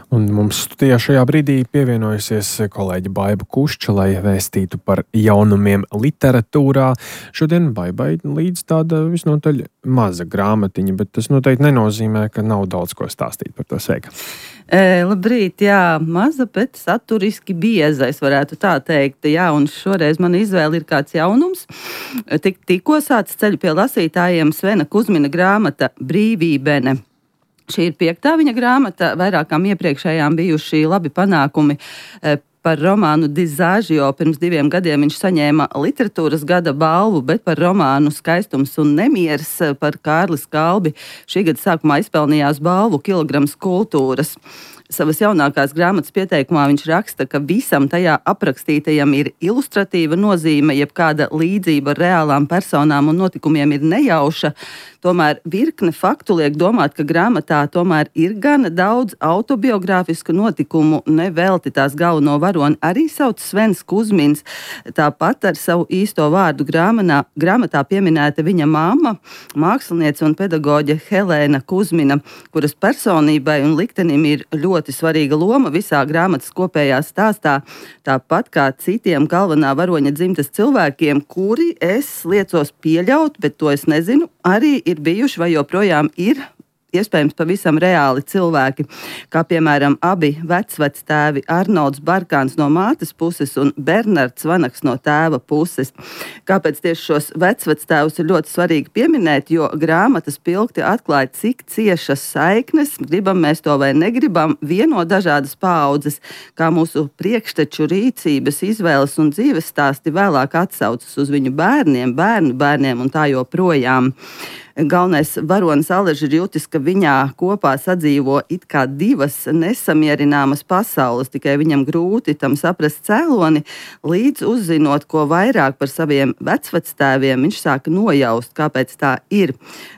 Un mums studijā šajā brīdī pievienojusies kolēģe Baiba Kušča, lai vēstītu par jaunumiem literatūrā. Šodien Baibai līdz tāda visnotaļ maza grāmatiņa, bet tas noteikti nenozīmē, ka nav daudz ko stāstīt par to sveika. Labrīt, jā, maza, bet saturiski bieza, es varētu tā teikt. Jā, un šoreiz mana izvēle ir kāds jaunums. Tikko sācis ceļu pie lasītājiem Svena Kuzmina grāmata Brīvībene. Šī ir 5. viņa grāmata, vairākām iepriekšējām bijuši labi panākumi par romānu Dizāžio. Pirms 2 gadiem viņš saņēma literatūras gada balvu, bet par romānu Skaistums un nemieris par Kārli Skalbi šī gada sākumā izpelnījās balvu Kilograms kultūras. Savas jaunākās grāmatas pieteikumā viņš raksta, ka visam tajā aprakstītajam ir ilustratīva nozīme, jeb kāda līdzība ar reālām personām un notikumiem ir nejauša. Tomēr virkne faktu liek domāt, ka grāmatā tomēr ir gana daudz autobiogrāfisku notikumu. Nevelti tās galveno varoni arī sauc Svens Kuzmins. Tāpat ar savu īsto vārdu grāmatā pieminēta viņa mamma, māksliniece un pedagoģe Helēna Kuzmina, kuras personībai un liktenim ir ļoti svarīga loma visā grāmatas kopējā stāstā. Tāpat kā citiem galvenā varoņa dzimtas cilvēkiem, kuri es liecos pieļaut, bet to es nezinu, arī ir bijuši vai joprojām ir iespējams pavisam reāli cilvēki, kā piemēram abi vecvectēvi Arnolds Barkāns no mātes puses un Bernards Vanaks no tēva puses. Kāpēc tieši šos vecvectēvus ir ļoti svarīgi pieminēt, jo grāmatas pilkti atklāja, cik ciešas saiknes, gribam mēs to vai negribam, vieno dažādas paaudzes, kā mūsu priekšteču rīcības, izvēles un dzīves stāsti vēlāk atsaucas uz viņu bērniem, bērnu bērniem un tā joprojām. Galvenais varonis Aležs ir jutis, ka viņā kopā sadzīvo it kā 2 nesamierināmas pasaules, tikai viņam grūti tam saprast cēloni, līdz uzzinot, ko vairāk par saviem vecvectēviem, viņš sāka nojaust, kāpēc tā ir.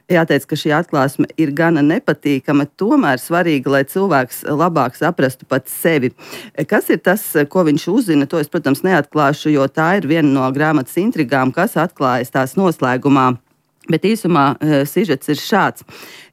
Jāteic, ka šī atklāsme ir gana nepatīkama, tomēr svarīga, lai cilvēks labāk saprastu pats sevi. Kas ir tas, ko viņš uzzina, to es, protams, neatklāšu, jo tā ir viena no grāmatas intrigām, kas atklājas tās noslēgumā. Bet īsumā sižets ir šāds.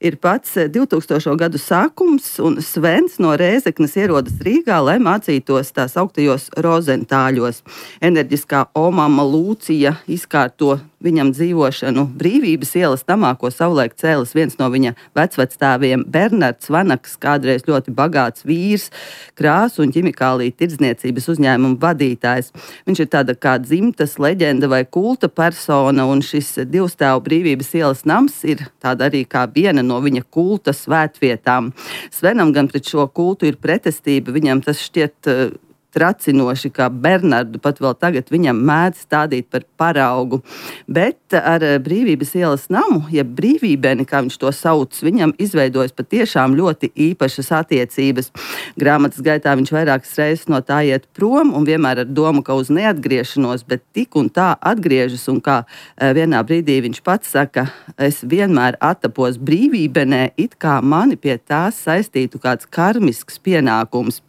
Ir pats 2000. gadu sākums, un Svens no Rēzeknes ierodas Rīgā, lai mācītos tās augtajos Rozentāļos. Enerģiskā omama Lūcija izkārto viņam dzīvošanu Brīvības ielas namā, ko savulaik cēlis viens no viņa vecvectēviem Bernards Vanaks, kādreiz ļoti bagāts vīrs, krāsu un ķimikāliju tirdzniecības uzņēmumu vadītājs. Viņš ir tāda kā dzimtas leģenda vai kulta persona, un šis 2 stāvu Brīvības ielas nams ir tāda arī kā viena no viņa kulta svētvietām. Svenam gan pret šo kultu ir pretestība, viņam tas šķiet tracinoši, kā Bernardu pat vēl tagad viņam mēdz stādīt par paraugu. Bet ar Brīvības ielas namu, jeb Brīvībeni, kā viņš to sauc, viņam izveidojas patiešām ļoti īpašas attiecības. Grāmatas gaitā viņš vairākas reizes no tā iet prom un vienmēr ar domu, ka uz neatgriešanos, bet tik un tā atgriežas, un kā vienā brīdī viņš pats saka, es vienmēr attapos Brīvībenē, it kā mani pie tās saistītu kāds karmisks pienākums.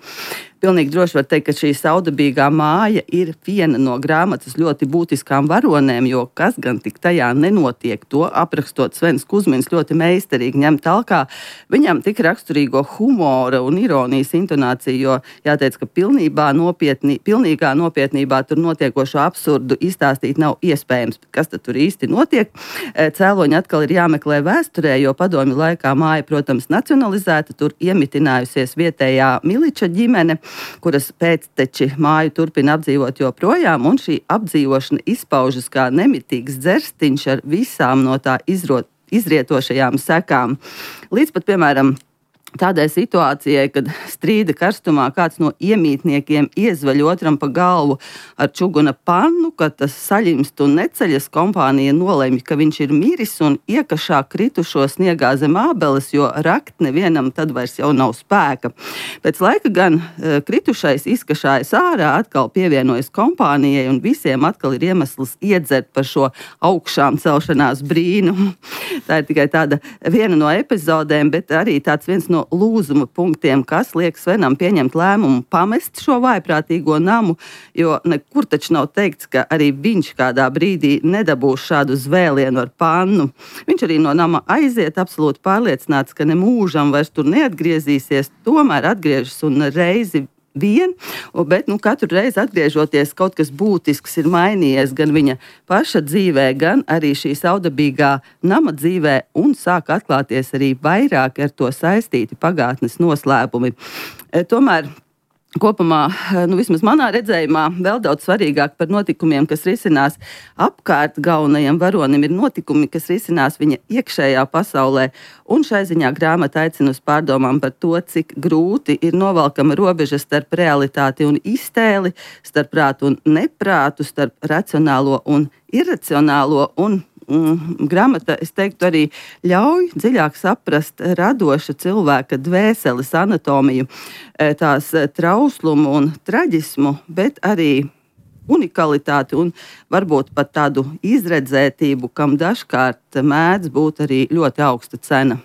Pilnīgi droši var teikt, ka šī saudabīgā māja ir viena no grāmatas ļoti būtiskām varonēm, jo kas gan tik tajā nenotiek, to aprakstot Svens Kuzmins ļoti meistarīgi ņem talkā viņam tik raksturīgo humora un ironijas intonāciju, jo jāteic, ka pilnīgā nopietnībā tur notiekošo absurdu izstāstīt nav iespējams. Kas tad tur īsti notiek? Cēloņi atkal ir jāmeklē vēsturē, jo padomju laikā māja, protams, nacionalizēta, tur iemitinājusies vietējā miliča ģimene, kuras pēcteči māju turpina apdzīvot joprojām, un šī apdzīvošana izpaužas kā nemitīgs dzerstiņš ar visām no tā izrietošajām sekām. Līdz pat, piemēram, tādai situācijai, kad strīda karstumā kāds no iemītniekiem iezvaļ otram pa galvu ar čuguna pannu, kad tas saļimst un neceļas, kompānija nolemj, ka viņš ir miris un iekašā kritušo sniegā zem ābeles, jo rakt nevienam tad vairs jau nav spēka. Pēc laika gan kritušais izkašājas ārā, atkal pievienojas kompānijai, un visiem atkal ir iemesls iedzert par šo augšām celšanās brīnumu. Tā ir tikai tāda viena no epizodēm, bet arī tāds viens no no lūzuma punktiem, kas liek Svenam pieņemt lēmumu pamest šo vājprātīgo namu, jo nekur taču nav teikts, ka arī viņš kādā brīdī nedabūs šādu zvēlienu ar pannu. Viņš arī no nama aiziet, absolūti pārliecināts, ka ne mūžam vairs tur neatgriezīsies, tomēr atgriežas un reizi vien, bet katru reizi atgriežoties kaut kas būtisks ir mainījies gan viņa paša dzīvē, gan arī šī saudabīgā nama dzīvē, un sāk atklāties arī vairāk ar to saistīti pagātnes noslēpumi. Tomēr kopumā, vismaz manā redzējumā, vēl daudz svarīgāk par notikumiem, kas risinās apkārt galvenajam varonim, ir notikumi, kas risinās viņa iekšējā pasaulē. Un šai ziņā grāmata aicina uz pārdomām par to, cik grūti ir novelkama robeža starp realitāti un iztēli, starp prātu un neprātu, starp racionālo un iracionālo. Un grāmata, es teiktu, arī ļauj dziļāk saprast radoša cilvēka dvēseles anatomiju, tās trauslumu un traģismu, bet arī unikalitāti un varbūt pat tādu izredzētību, kam dažkārt mēdz būt arī ļoti augsta cena.